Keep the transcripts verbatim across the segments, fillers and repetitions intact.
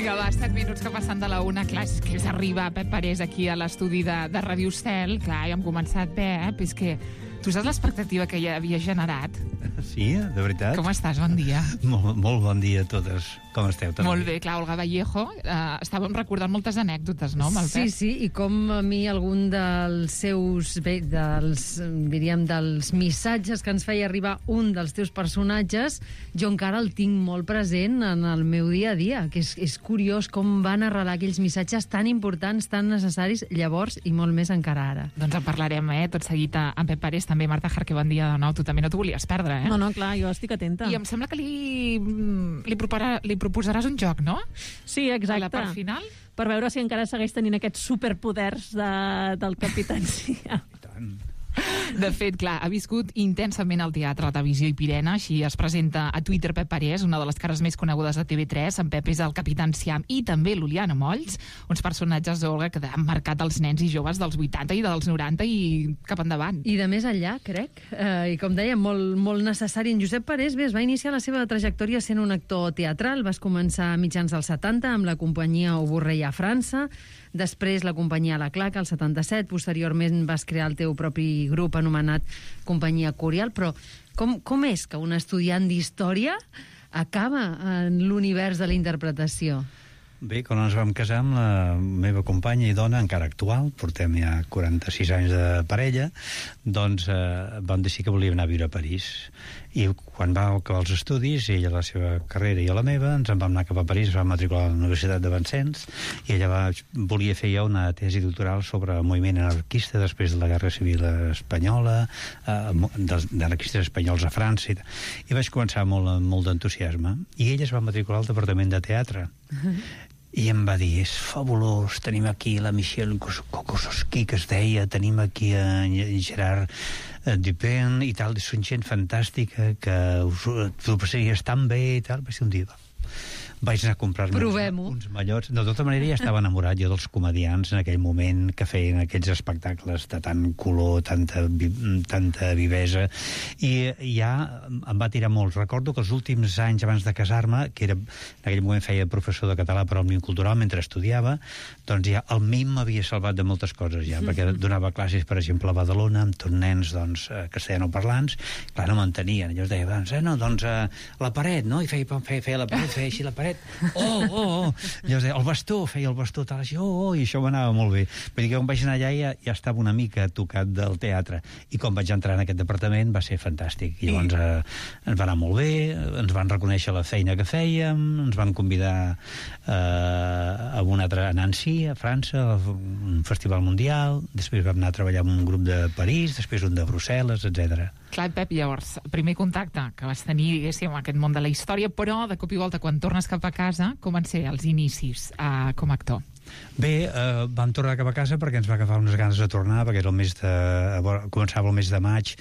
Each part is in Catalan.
Vinga, va, set minuts que passen de la una. Clar, és que és arribar Pep Parés aquí a l'estudi de, de Ràdio Estel. Clar, ja hem començat, Pep. És que tu saps l'expectativa que ja havia generat? Sí, de veritat. Com estàs? Bon dia. Molt, molt bon dia a totes. Com esteu? També? Molt bé, clar, Olga Vallejo. Eh, estàvem recordant moltes anècdotes, no, amb el Sí, Pep? sí, i com a mi algun dels seus, bé, dels, diríem, dels missatges que ens feia arribar un dels teus personatges, jo encara el tinc molt present en el meu dia a dia, que és, és curiós com van arrelar aquells missatges tan importants, tan necessaris, llavors i molt més encara ara. Doncs en parlarem, eh, tot seguit amb Pep Parés. També, Marta Jarque, bon dia de nou. Tu també no t'ho volies perdre, eh? No, no, clar, jo estic atenta. I em sembla que li, li, propara, li proposaràs un joc, no? Sí, exacte. A la part final? Per veure si encara segueix tenint aquests superpoders de, del capitancia. I tant. De fet, clar, ha viscut intensament al teatre, la televisió i Pirena, així es presenta a Twitter Pep Parés, una de les cares més conegudes de T V tres. En Pep és el Capità Enciam i també l'Uliana Molls, uns personatges, Olga, que han marcat els nens i joves dels vuitanta i dels noranta i cap endavant. I de més enllà, crec, eh, i com deia, molt, molt necessari. En Josep Parés, bé, es va iniciar la seva trajectòria sent un actor teatral. Vas començar a mitjans dels setanta amb la companyia Au Borrell a França, després la companyia La Claca, al setanta-set, posteriorment vas crear el teu propi grup anomenat Companyia Curial, però com, com és que un estudiant d'història acaba en l'univers de la interpretació? Bé, quan ens vam casar amb la meva companya i dona, encara actual, portem ja quaranta-sis anys de parella, doncs eh, vam decidir que volíem anar a viure a París. I quan va acabar els estudis, ella la seva carrera i jo la meva, ens en vam anar cap a París, ens vam matricular a la Universitat de Vincennes, i ella va, volia fer ja una tesi doctoral sobre el moviment anarquista després de la Guerra Civil Espanyola, eh, d'anarquistes espanyols a França, i, i vaig començar molt, molt d'entusiasme. I ella es va matricular al Departament de Teatre. I em va dir, és fabulós, tenim aquí la Michelle Kokososki, que es deia, tenim aquí a Gerard Dupin i tal, són gent fantàstica que us, t'ho passaries tan bé i tal. Va ser un dia, vaig anar a comprar-me uns, uns mallots. De tota manera ja estava enamorat jo dels comediants en aquell moment que feien aquells espectacles de tant color, tanta, tanta vivesa, i ja em va tirar molt. Recordo que els últims anys abans de casar-me, que era, en aquell moment feia professor de català per al Òmnium Cultural mentre estudiava, doncs ja el M I M m'havia salvat de moltes coses ja, perquè donava classes, per exemple, a Badalona amb tots nens, doncs, castellanoparlants. Clar, no m'entenien. Llavors deia, doncs, eh, no, doncs, a la paret, no? I feia, feia, feia la paret, feia així la paret. Oh, oh, oh. Llavors deia, el bastó, feia el bastó, tal, així, oh, oh, i això m'anava molt bé. Vull dir que quan vaig anar allà ja, ja estava una mica tocat del teatre, i quan vaig entrar en aquest departament va ser fantàstic. I llavors eh, ens va anar molt bé, ens van reconèixer la feina que fèiem, ens van convidar eh, a un altre, a Nancy, a França, a un festival mundial, després vam anar a treballar amb un grup de París, després un de Brussel·les, etcètera. Clar, Pep, llavors, primer contacte que vas tenir, diguéssim, amb aquest món de la història, però de cop i volta, quan tornes cap a casa, com van ser els inicis eh, com a actor? Bé, eh, vam tornar cap a casa perquè ens va agafar unes ganes de tornar, perquè era el mes de, començava el mes de maig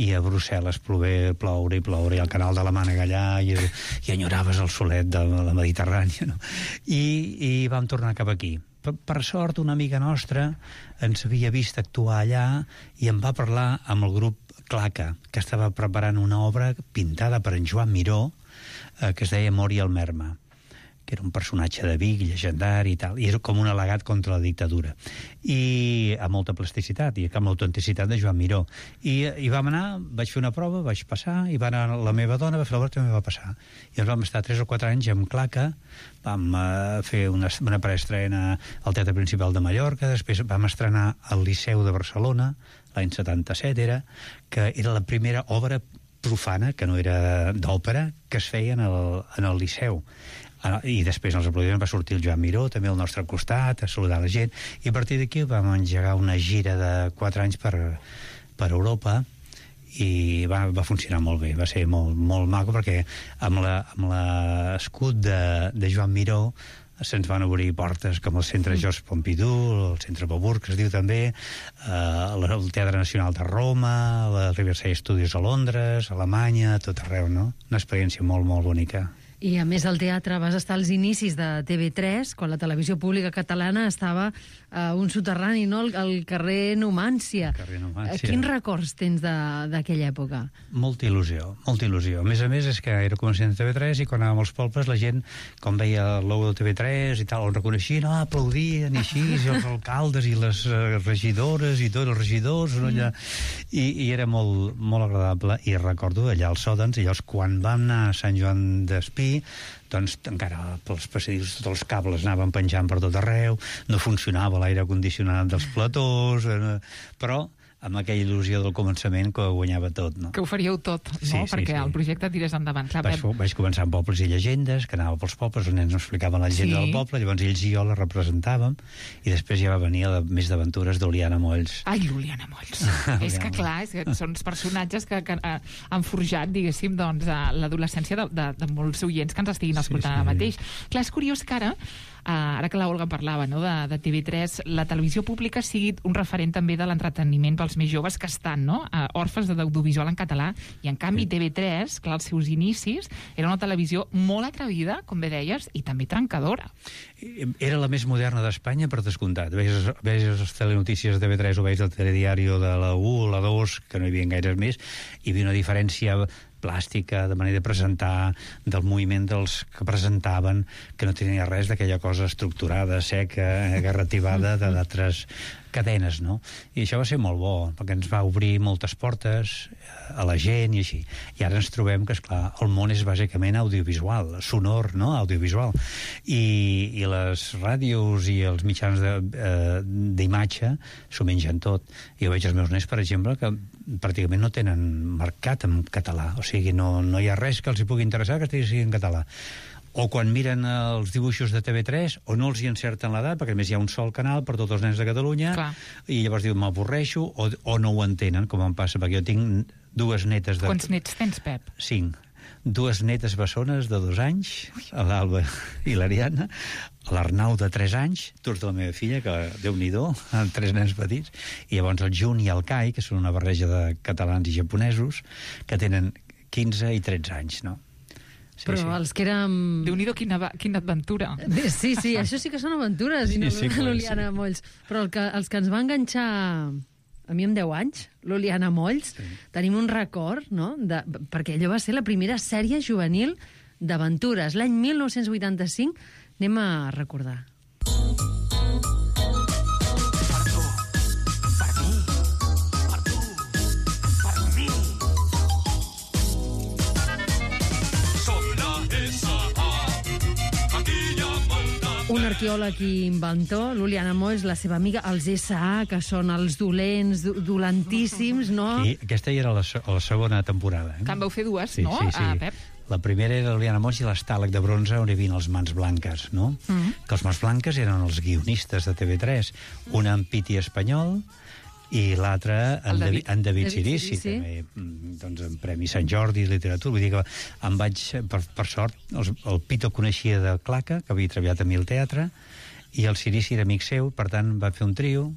i a Brussel·les plover, ploure i ploure, i al canal de la Mànega allà, i, i enyoraves el solet de la Mediterrània, no? I, i vam tornar cap aquí. Per, per sort, una amiga nostra ens havia vist actuar allà i em va parlar amb el grup Claca, que estava preparant una obra pintada per en Joan Miró, eh, que es deia Mori el Merma, que era un personatge de Vic, llegendari i tal, i era com un al·legat contra la dictadura, i amb molta plasticitat i amb l'autenticitat de Joan Miró. I, i vam anar, vaig fer una prova, vaig passar, i va anar la meva dona, va fer l'obra, també va passar. I ens vam estar tres o quatre anys amb Claca, vam uh, fer una, una preestrena al Teatre Principal de Mallorca, després vam estrenar al Liceu de Barcelona, l'any setanta-set era, que era la primera obra profana, que no era d'òpera, que es feia en el, en el Liceu. I després als aplaudiments va sortir el Joan Miró també al nostre costat, a saludar la gent, i a partir d'aquí vam engegar una gira de quatre anys per, per Europa, i va, va funcionar molt bé, va ser molt, molt maco, perquè amb l'escut de, de Joan Miró se'ns van obrir portes com el Centre Georges Pompidou, el Centre Beaubourg, que es diu també, eh, el Teatre Nacional de Roma, la Riverside Studios a Londres, a Alemanya, a tot arreu, no? Una experiència molt, molt bonica. I, a més, al teatre vas estar als inicis de T V tres, quan la televisió pública catalana estava a un soterrani, no?, al, al carrer Numància. Carrer Numància. Quins records tens d'aquella època? Molta il·lusió, molta il·lusió. A més a més, és que era començant a T V tres i quan anàvem als pobles la gent, com veia el logo de T V tres i tal, el reconeixien, no, aplaudien i així, i els alcaldes i les uh, regidores i tots els regidors, no, allà. I, i era molt, molt agradable. I recordo allà als Sòdens, i llavors quan vam anar a Sant Joan d'Espí, doncs encara pels passadissos tots els cables anaven penjant per tot arreu, no funcionava l'aire condicionat dels platós, eh, però amb aquella il·lusió del començament que ho guanyava tot, no? Que ho faríeu tot, no? Sí, sí, perquè sí. el projecte tirés endavant. Clar, vaig, Pep... vaig començar amb pobles i llegendes, que anava pels pobles, els nens ens explicaven la llegenda Sí. del poble, llavors ells i jo la representàvem, i després ja va venir la més d'aventures d'Oliana Molls. Ai, l'Oliana Molls. És que, clar, és que són els personatges que, que uh, han forjat, diguéssim, doncs, uh, l'adolescència de, de, de molts oients que ens estiguin escoltant Sí, sí. ara mateix. Clar, és curiós que ara, uh, ara que la Olga parlava, no?, de, de T V tres, la televisió pública sigui un referent també de l'entreteniment pels més joves que estan, no?, uh, orfes de l'audiovisual en català, i en canvi T V tres, clar, als seus inicis, era una televisió molt atrevida, com bé deies, i també trencadora. Era la més moderna d'Espanya, per descomptat. Veies, veies les telenotícies de T V tres o veies el telediario de la u, la dos, que no hi havia gaires més, hi havia una diferència plàstica, de manera de presentar, del moviment dels que presentaven, que no tenia res d'aquella cosa estructurada, seca, garrativada d'altres cadenes, no? I això va ser molt bo, perquè ens va obrir moltes portes a la gent i així. I ara ens trobem que, esclar, el món és bàsicament audiovisual, sonor, no?, audiovisual. I, i les ràdios i els mitjans d'imatge eh, s'ho mengen tot. Jo veig els meus nens, per exemple, que pràcticament no tenen mercat en català. O sigui, no, no hi ha res que els hi pugui interessar que estigui en català. O quan miren els dibuixos de T V tres, o no els hi encerten l'edat, perquè a més hi ha un sol canal per tots els nens de Catalunya, Clar. I llavors diuen, m'avorreixo, o, o no ho entenen, com em passa, perquè jo tinc dues netes de... Quants nets tens, Pep? Cinc. Dues netes bessones de dos anys, l'Alba i l'Ariadna, l'Arnau de tres anys, tots de la meva filla, que Déu-n'hi-do, amb tres nens petits, i llavors el Jun i el Kai, que són una barreja de catalans i japonesos, que tenen quinze i tretze anys, no? Sí, Però sí. els que érem... Déu-n'hi-do, quina, quina aventura. Sí, sí, això sí que són aventures, i no Sí, sí, l'Oliana sí. Molls. Però el que, els que ens va enganxar a mi amb deu anys, l'Oliana Molls, sí. Tenim un record, no?, de, perquè allò va ser la primera sèrie juvenil d'aventures. L'any mil nou-cents vuitanta-cinc, anem a recordar. Un arqueòleg i inventor, l'Oliana Molls, la seva amiga, els essa a, que són els dolents, do- dolentíssims, no? I aquesta ja era la, se- la segona temporada. Eh? Que en vau fer dues, Sí, no, sí, sí. Ah, Pep? La primera era l'Oliana Molls i l'estàleg de bronze on hi havia els Mans Blanques, no? Mm. Que els Mans Blanques eren els guionistes de T V tres, un en Piti Espanyol i l'altre en, El David, David. en David David Cirici, Cirici. també, mm, doncs, en Premi Sant Jordi de Literatura. Vull dir que em vaig, per, per sort, els, el Pito coneixia de Claca, que havia treballat a Mil Teatre, i el Cirici era amic seu, per tant, va fer un trio,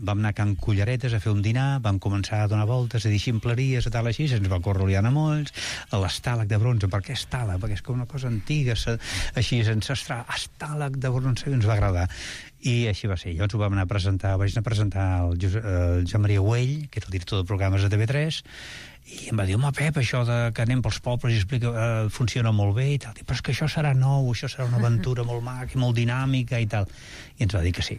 vam anar a Can Culleretes a fer un dinar, vam començar a donar voltes, a dir ximpleries, a tal així, se'ns va córrer l'Oliana Molls, a l'estàleg de bronze. Per què estàleg? Perquè és com una cosa antiga, se, així ancestral, estàleg de bronze, i ens va agradar. I així va ser. Llavors ho vam anar a presentar, vaig anar a presentar el, Josep, el Joan Maria Güell, que era el director de programes de T V tres, i em va dir, home, Pep, això de que anem pels pobles i explica, eh, funciona molt bé i tal. Dic, però és que això serà nou, això serà una aventura molt maca i molt dinàmica i tal. I ens va dir que sí.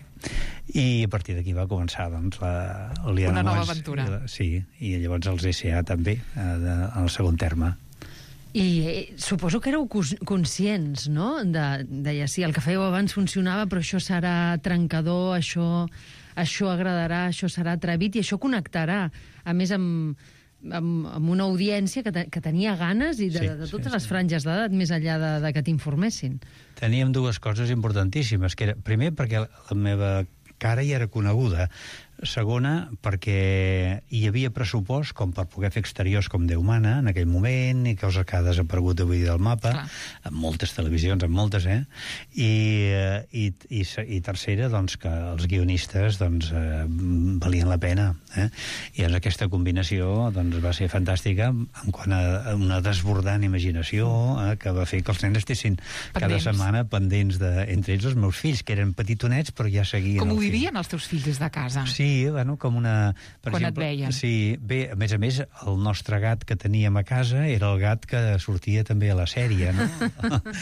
I a partir d'aquí va començar, doncs, la, l'Oliana Una nova Molls, aventura. i la, sí, i llavors els essa a també, eh, de, en el segon terme. I eh, suposo que éreu cons- conscients, no? De, deia, sí, el que fèieu abans funcionava, però això serà trencador, això, això agradarà, això serà atrevit i això connectarà, a més, amb, amb, amb una audiència que, te, que tenia ganes i de, Sí, de totes sí, les sí. franges d'edat, més enllà de, de que t'informessin. Teníem dues coses importantíssimes, que era, primer, perquè la meva cara ja era coneguda. Segona, perquè hi havia pressupost com per poder fer exteriors com Déu mana en aquell moment, i coses que ha desaparegut avui del mapa, Clar. en moltes televisions, en moltes, eh? I, eh, i, i, i tercera, doncs, que els guionistes doncs, eh, valien la pena. Eh? I en aquesta combinació doncs, va ser fantàstica en quant a una desbordant imaginació eh, que va fer que els nens estessin cada Pendents. setmana pendents de, entre ells els meus fills, que eren petitonets, però ja seguien Com ho el fil. vivien els teus fills des de casa? Sí, bueno, com una... Per Quan et exemple, veien. Sí, bé, a més a més, el nostre gat que teníem a casa era el gat que sortia també a la sèrie, no?